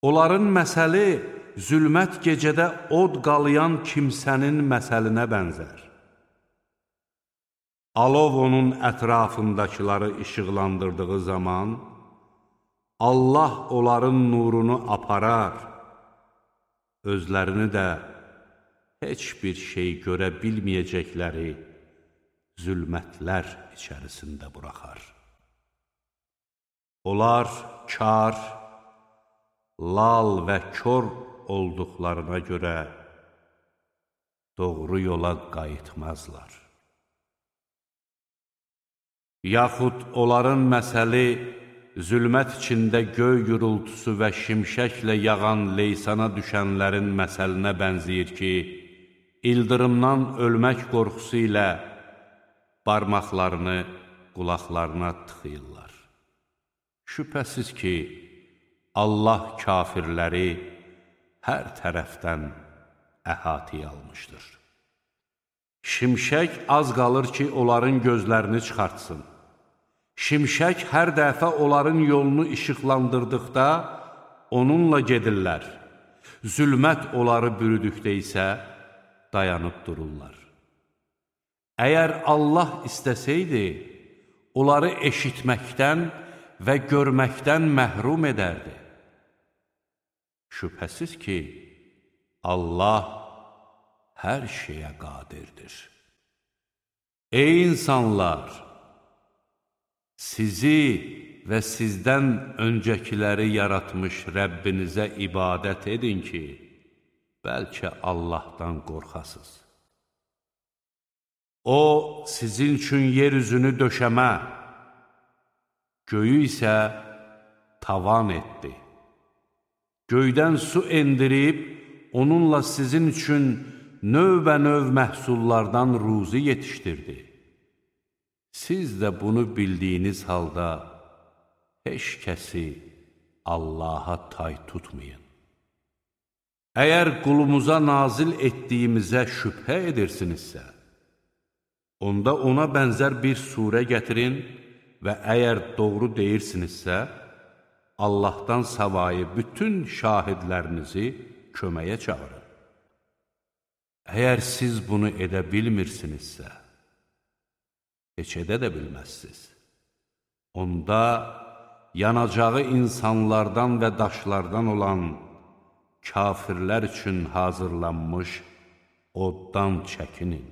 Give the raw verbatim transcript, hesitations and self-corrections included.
Onların məsəli zülmət gecədə od qalayan kimsənin məsəlinə bənzər. Alov onun ətrafındakıları işıqlandırdığı zaman, Allah onların nurunu aparar, özlərini də heç bir şey görə bilməyəcəkləri zülmətlər içərisində buraxar. Onlar kar, lal və kör olduqlarına görə doğru yola qayıtmazlar. Yaxud onların məsəli zülmət içində göy gürültüsü və şimşəklə yağan leysana düşənlərin məsəlinə bənzəyir ki, ildırımdan ölmək qorxusu ilə barmaqlarını qulaqlarına tıxıyırlar. Şübhəsiz ki, Allah kafirləri hər tərəfdən əhatəyə almışdır. Şimşək az qalır ki, onların gözlərini çıxartsın. Şimşək hər dəfə onların yolunu işıqlandırdıqda onunla gedirlər. Zülmət onları bürüdükdə isə dayanıb dururlar. Əgər Allah istəsəydi, onları eşitməkdən və görməkdən məhrum edərdi. Şübhəsiz ki, Allah hər şeyə qadirdir. Ey insanlar! Sizi və sizdən öncəkiləri yaratmış Rəbbinizə ibadət edin ki, bəlkə Allahdan qorxasız. O, sizin üçün yer üzünü döşəmə, göyü isə tavan etdi. Göydən su endirib, onunla sizin üçün növbə-növ məhsullardan ruzi yetişdirdi. Siz də bunu bildiyiniz halda heç kəsi Allaha tay tutmayın. Əgər qulumuza nazil etdiyimizə şübhə edirsinizsə, onda ona bənzər bir surə gətirin və əgər doğru deyirsinizsə, Allahdan savayı bütün şahidlərinizi köməyə çağırın. Əgər siz bunu edə bilmirsinizsə, heç edə də bilməzsiniz. Onda yanacağı insanlardan və daşlardan olan kafirlər üçün hazırlanmış oddan çəkinin.